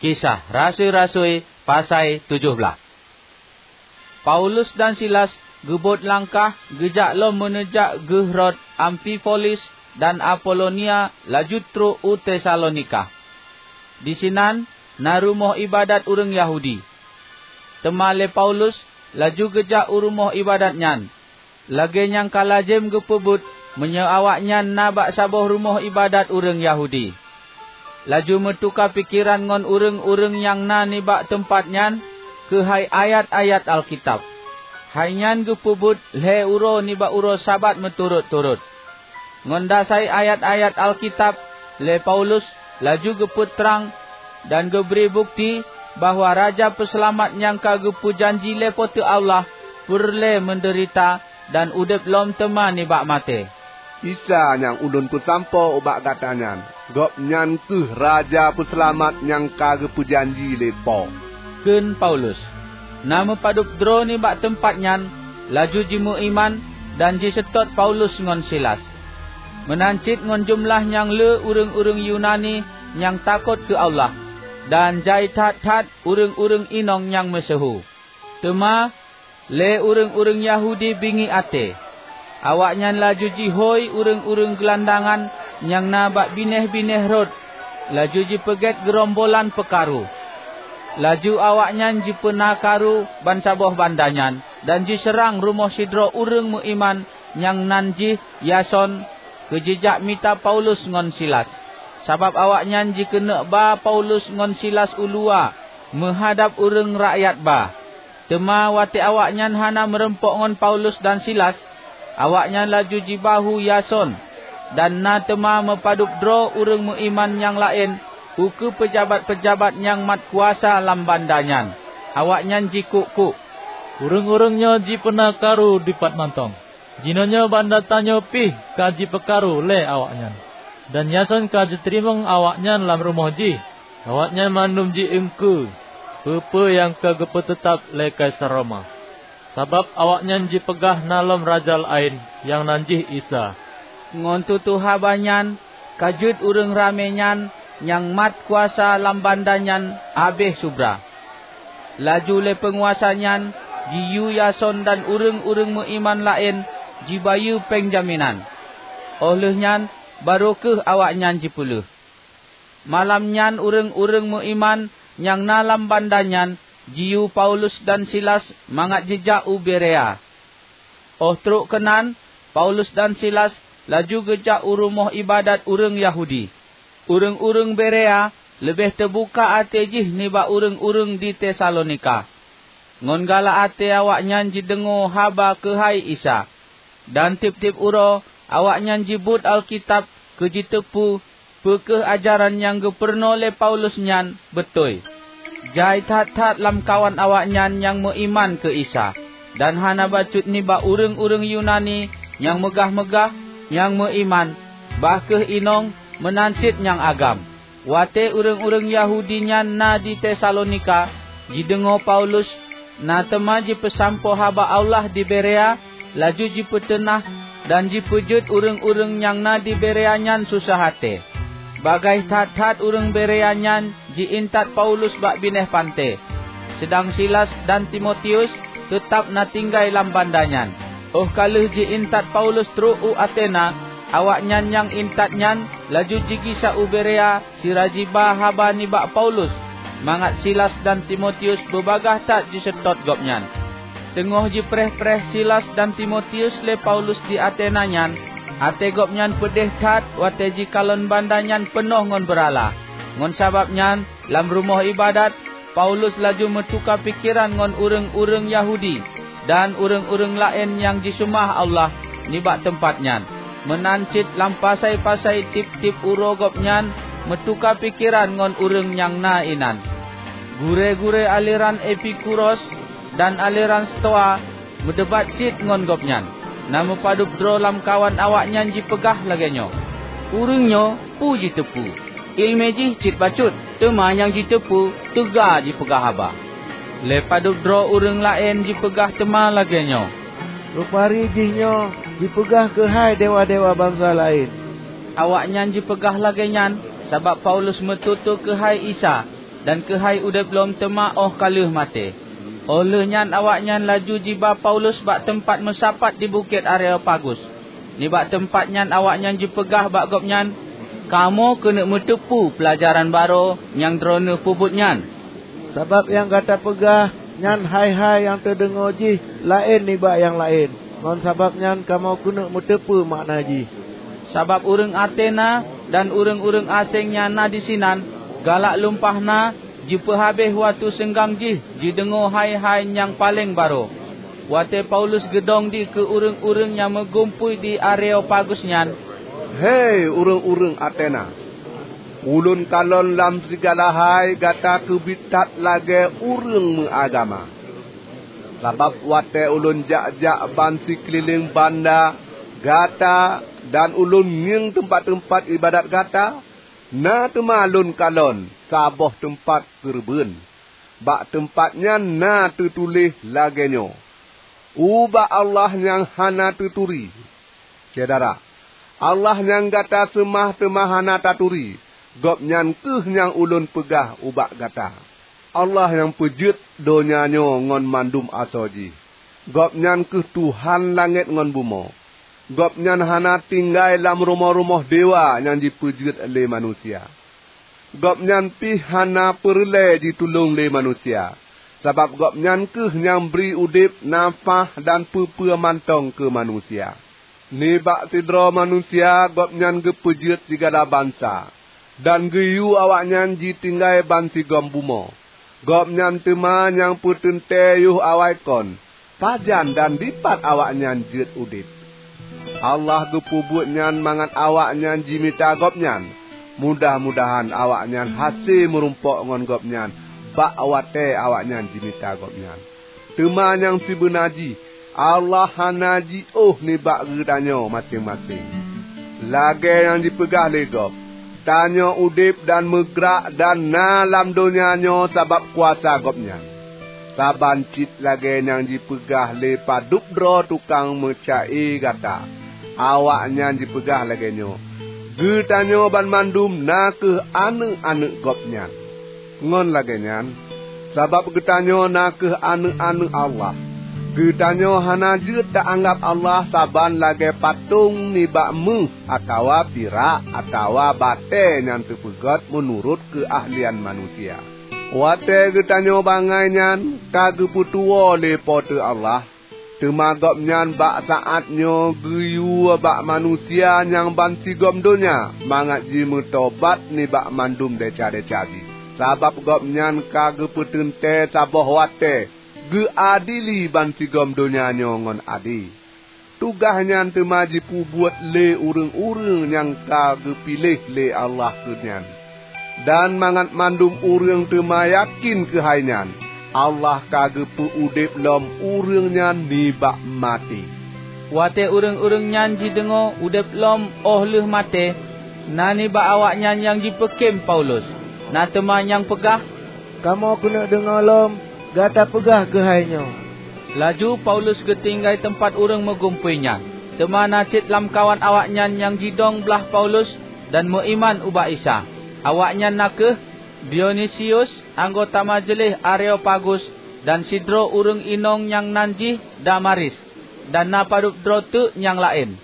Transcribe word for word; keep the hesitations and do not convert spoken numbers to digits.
Kisah Rasui-rasui, pasai tujoh blaih. Paulus dan Silas geubot langkah geujak lom meuneujak geuh rot Amfipolis dan Apolonia, laju trok u Tesalonika. Disinan na rumoh iébadat ureuëng Yahudi. Teuma lé Paulus laju geujak u rumoh iébadat nyan, lagée nyang ka lazem geupeubuet meunyoe awaknyan na bak saboh rumoh iébadat ureuëng Yahudi. Laju meutuka pikeran ngon ureuëng-ureuëng nyang na nibak teumpat nyan keuhai ayat-ayat Alkitab. Hai nyan geupeubuet lhée uroe nibak uroe Sabat meuturot-turot. Ngon dasai ayat-ayat Alkitab, lé Paulus laju geupeutrang dan geubri bukeuti bahwa Raja Peuseulamat nyang ka geupeujanji lé Po teu Allah peureulée meudeurita dan udeb lom teuma nibak maté. "Isa nyang ulôn peusampoe ubak gata nyan, Gobnyan kheueh Raja Peuseulamat nyang ka geupeujanji lé Po," kheun Paulus. Na meupadub droe nibak teumpat nyan laju jimeuiman dan jiseutôt Paulus ngon Silas. Meunan cit ngon jeumeulah nyang le ureuëng-ureuëng Yunani nyang takot keu Allah, dan jai that-that ureuëng-ureuëng inong nyang meusyeuhu. Teuma lé ureuëng-ureuëng Yahudi bingiek até. Awaknyan laju jihôi ureuëng-ureuëng geulandangan nyang na bak binéh-binéh rot, laju jipeugét geurombolan peukaru. Laju awaknyan jipeuna karu bansaboh banda nyan dan jiseurang rumoh sidroe ureuëng meuiman nyang nan jih Yason keu jijak mita Paulus ngon Silas, sabab awaknyan jikeuneuk ba Paulus ngon Silas u luwa meuhadab ureuëng rakyat ba. Teuma watée awaknyan hana meurumpok ngon Paulus dan Silas, awaknyan laju jibahu Yason, dan na teuma meupadub droe ureuëng meuiman nyang laén ukeue peujabat-peujabat nyang mat kuasa lam banda nyan. Awaknyan jikuk-kuk, "Ureuëng-ureuëng nyoe jipeuna karu dipat mantong! Jinoenyoe banda tanyoe pih ka jipeukaru lé awaknyan, dan Yason ka jiteurimong awaknyan lam rumoh jih. Awaknyan mandum ji-iengkeue peue-peue nyang ka geupeuteutab lé Kaisar Roma, sabab awaknyan jipeugah na lom raja laén nyang nan jih Isa." Ngon tutoe haba nyan ka jeuet ureuëng ramé nyan nyang mat kuasa lam banda nyan habéh subra. Laju lé peunguasa nyan jiyue Yason dan ureuëng-ureuëng meuiman laén jibayeue péng jaminan. Óh lheueh nyan barô kheueh awaknyan jipeuleueh. Malam nyan ureuëng-ureuëng meuiman nyang na lam banda nyan jiyue Paulus dan Silas mangat jijak u Berea. Óh trok keunan, Paulus dan Silas laju geujak u rumoh iébadat ureuëng Yahudi. Ureuëng-ureuëng Berea leubeh teubuka até jih nibak ureuëng-ureuëng di Tesalonika. Ngon galak até awaknyan jideungoe haba keuhai Isa, dan tieb-tieb uroe awaknyan jibuet Alkitab keu jiteupeu peu kheueh ajaran nyang geupeurunoe lé Paulus nyan beutôi. Jai that-that lamkawan awaknyan nyang meuiman keu Isa, dan hana bacut nibak ureuëng-ureuëng Yunani nyang meugah-meugah nyang meuiman, bah kheueh inong meunan cit nyang agam. Watée ureuëng-ureuëng Yahudi nyan na di Tesalonika jideungoe Paulus na teuma jipeusampoe haba Allah di Berea, laju jipeuteunah dan jipeujeuet ureuëng-ureuëng nyang na di Berea nyan susah até. Bagaih that-that ureuëng Berea nyan ji-intat Paulus bak binéh panté, seudang Silas dan Timotius teutab na tinggai lam banda nyan. Óh ka lheueh ji-intat Paulus trok u Atena, awaknyan nyang intat nyan laju jigisa u Berea sira jiba haba nibak Paulus, mangat Silas dan Timotius beubagaih that jiseutôt gobnyan. Teungoh jipreh-preh Silas dan Timotius lé Paulus di Atena nyan, até gobnyan peudeh that watée jikalon banda nyan peunoh ngon beurala. Ngon sabab nyan, lam rumoh iébadat, Paulus laju meutuka pikeran ngon ureuëng-ureuëng Yahudi dan ureuëng-ureuëng laén nyang jiseumah Allah nibak teumpat nyan. Meunan cit lam pasai-pasai tieb-tieb uroe gobnyan meutuka pikeran ngon ureuëng nyang na inan. Gurée-gurée aleran Epikuros dan aleran Stoa meudebat cit ngon gobnyan. Na meupadub droe lamkawan awaknyan jipeugah lagée nyoe, "Ureuëng nyoe peue jiteupeu? Iéleumé jih cit bacut, teuma nyang jiteupeu teuga jipeugah haba." Lé padub droe ureuëng laén jipeugah teuma lagée nyoe, "Peupari jihnyoe jipeugah keuhai dewa-dewa bansa laén." Awaknyan jipeugah lagée nyan sabab Paulus meututoe keuhai Isa. dan keuhai udeb lom teuma óh ka lheueh maté." Óh lheueh nyan awaknyan laju jiba Paulus bak teumpat meusapat di Bukét Areopagus. Nibak teumpat nyan awaknyan jipeugah bak gobnyan, "Kamoe keuneuk meuteupeue peulajaran barô nyang droeneueh peubuet nyan. Sabab nyang gata peugah nyan hai-hai nyang teudeungoe jih laén nibak nyang laén, ngon sabab nyan kamoe keuneuk meuteupeue makna jih." Sabab ureuëng Atena dan ureuëng-ureuëng aséng nyang na disinan galak lumpah na jipeuhabéh watée seunggang jih jideungoe hai-hai nyang paleng barô. Watée Paulus geudong dikeue ureuëng-ureuëng nyang meugumpôi di Areopagus nyan, "Hei ureuëng-ureuëng Atena! Ulôn kalon lam sigala hai gata keubiet that lagée ureuëng meuagama. Sabab watée ulôn jak-jak ban sikeulileng banda gata dan ulôn ngieng teumpat-teumpat iébadat gata, na teuma lôn kalon saboh teumpat keureubeuen. Bak teumpat nyan na teutuléh lagée nyoe, 'Ubak Allah nyang hana teuturi.' Syedara, Allah nyang gata seumah teuma hana taturi, Gobnyan kheueh nyang ulôn peugah ubak gata. Allah nyang peujeuet donya nyoe ngon mandum asoe jih. Gobnyan kheueh Tuhan langét ngon bumoe. Gobnyan hana tinggai lam rumoh-rumoh dewa nyang jipeujeuet lé manusia. Gobnyan pih hana peureulée jitulông lé manusia, sabab Gobnyan kheueh nyang bri udeb, nafah, dan peue-peue mantong keu manusia. Nibak sidroe manusia Gobnyan geupeujeuet sigala bansa, dan geuyue awaknyan jitinggai bansigom bumoe. Gobnyan teuma nyang peuteuntée yoh awai kon, pajan dan dipat awaknyan jeuet udeb. Allah geupeubuet nyan mangat awaknyan jimita Gobnyan. Mudah-mudahan awaknyan hase meurumpok ngon Gobnyan bak watée awaknyan jimita Gobnyan. Teuma nyang sibeuna jih, Allah hana jiôh nibak geutanyoe maséng-maséng. Lagée nyang jipeugah lé gob, tanyoe udeb dan meugrak dan na lam donya nyoe sabab kuasa Gobnyan. Saban cit lagée nyang jipeugah lé padub droe tukang meuca-e gata, awaknyan jipeugah lagée nyoe, "Geutanyoe banmandum na kheueh aneuëk-aneuëk Gobnyan." Ngon lagée nyan, sabab geutanyoe na kheueh aneuëk-aneuëk Allah, geutanyoe hana jeuet ta-anggab Allah saban lagée patong nibak méuh atawa pirak atawa batée nyang teupeugét meunurot keuahlian manusia. Watée geutanyoe bangai nyan ka geupeutuwoe lé Po teu Allah, teuma Gobnyan bak saát nyoe geuyue bak manusia nyang bansigom donya mangat jimeutobat nibak mandum desya-desya jih. Sabab Gobnyan ka geupeuteuntée saboh watée geuadili bansigom donya nyoe ngon ade. Tugaih nyan teuma jipeubuet lé ureuëng-ureuëng nyang ka geupiléh lé Allah keu nyan. Dan mangat mandum ureuëng teuma yakén keuhai nyan, Allah ka geupeu udeb lom ureuëng nyan nibak maté. Watée ureuëng-ureuëng nyan jideungoe udeb lom óh lheueh maté, na nibak awaknyan nyang jipeukém Paulus, na teuma nyang peugah, "Kamoe keuneuk deungoe lom gata peugah keuhai nyoe." Laju Paulus geutinggai teumpat ureuëng meugumpôi nyan. Teuma na cit lamkawan awaknyan nyang jidong blaih Paulus dan meuiman ubak Isa. Awaknyan na kheueh Dionisius, anggota majeuleh Areopagus, dan sidroe ureuëng inong nyang nan jih Damaris, dan na padub droe teuk nyang laén.